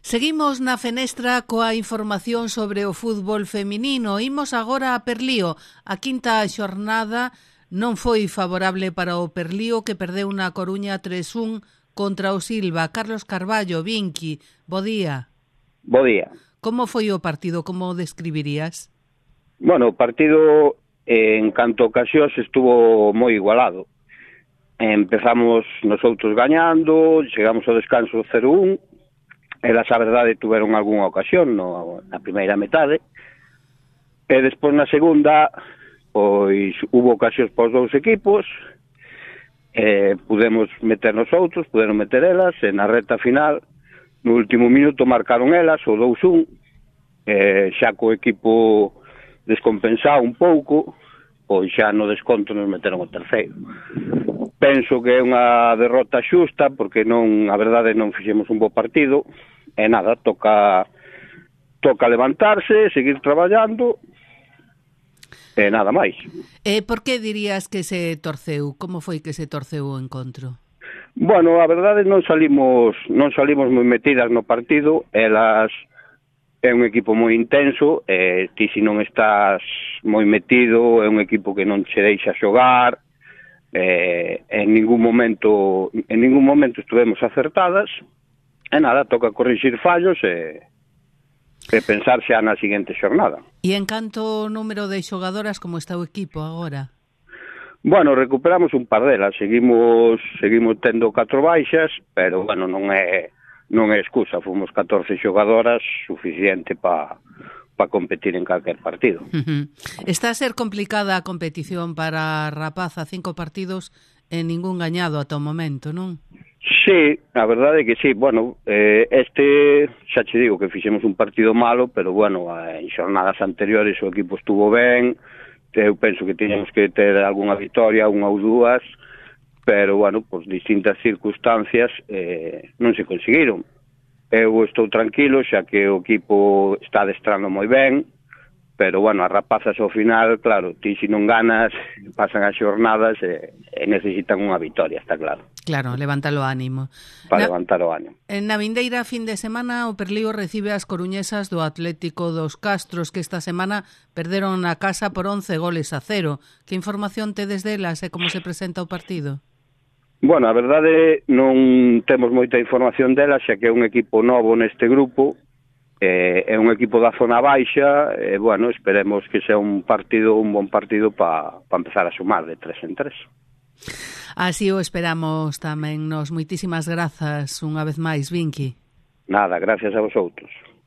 Seguimos na fenestra coa información sobre o fútbol feminino. Imos agora a Perlío. A quinta xornada non foi favorable para o Perlío, que perdeu na Coruña 3-1 contra o Silva. Carlos Carballo, Vinqui, bo día. Bo día. Como foi o partido? Como o describirías? Bueno, o partido en canto a ocasións estuvo moi igualado. Empezamos nosotros gañando, chegamos ao descanso 0-1. Elas, a verdade, tuveron algunha ocasión na primeira metade, e despois na segunda, pois, hubo ocasións para os dous equipos, pudemos meter nosotros, puderon meter elas, e na reta final, no último minuto, marcaron elas, o 2-1, xa co equipo descompensado un pouco, pois xa no desconto nos meteron o terceiro. Penso que é unha derrota xusta, porque non, a verdade, non fixemos un bo partido, e nada, toca levantarse, seguir traballando, e nada máis. Por que dirías que se torceu? Como foi que se torceu o encontro? Bueno, a verdade, non salimos moi metidas no partido. Elas é un equipo moi intenso, e ti, se non estás moi metido, é un equipo que non che deixa xogar. En ningún momento estuvemos acertadas, e nada, toca corrixir fallos e pensar xa na seguinte xornada. E en canto ao número de xogadoras, como está o equipo agora? Bueno, recuperamos un par delas, seguimos tendo 4 baixas, pero bueno, non é excusa, fomos 14 xogadoras, suficiente para competir en calquer partido. Está a ser complicada a competición para a rapaza, 5 partidos e ningún gañado ata o momento, non? Sí, a verdade é que sí. Bueno, xa che digo que fixemos un partido malo, pero bueno, en xornadas anteriores o equipo estuvo ben, eu penso que tiñamos que ter algunha victoria, unha ou dúas, pero bueno, por distintas circunstancias non se conseguiron. Eu estou tranquilo, xa que o equipo está adestrando moi ben, pero, bueno, as rapazas ao final, claro, ti se non ganas, pasan as xornadas e necesitan unha victoria, está claro. Claro, levantar o ánimo. Levantar o ánimo. Na vindeira fin de semana, o Perlío recibe as coruñesas do Atlético dos Castros, que esta semana perderon na casa por 11-0. Que información tedes delas e como se presenta o partido? Bueno, a verdade, non temos moita información dela, xa que é un equipo novo neste grupo, é un equipo da zona baixa, e, bueno, esperemos que sea un bon partido para empezar a sumar de 3 en 3. Así o esperamos tamén nos. Moitísimas grazas unha vez máis, Vinqui. Nada, gracias a vosotros.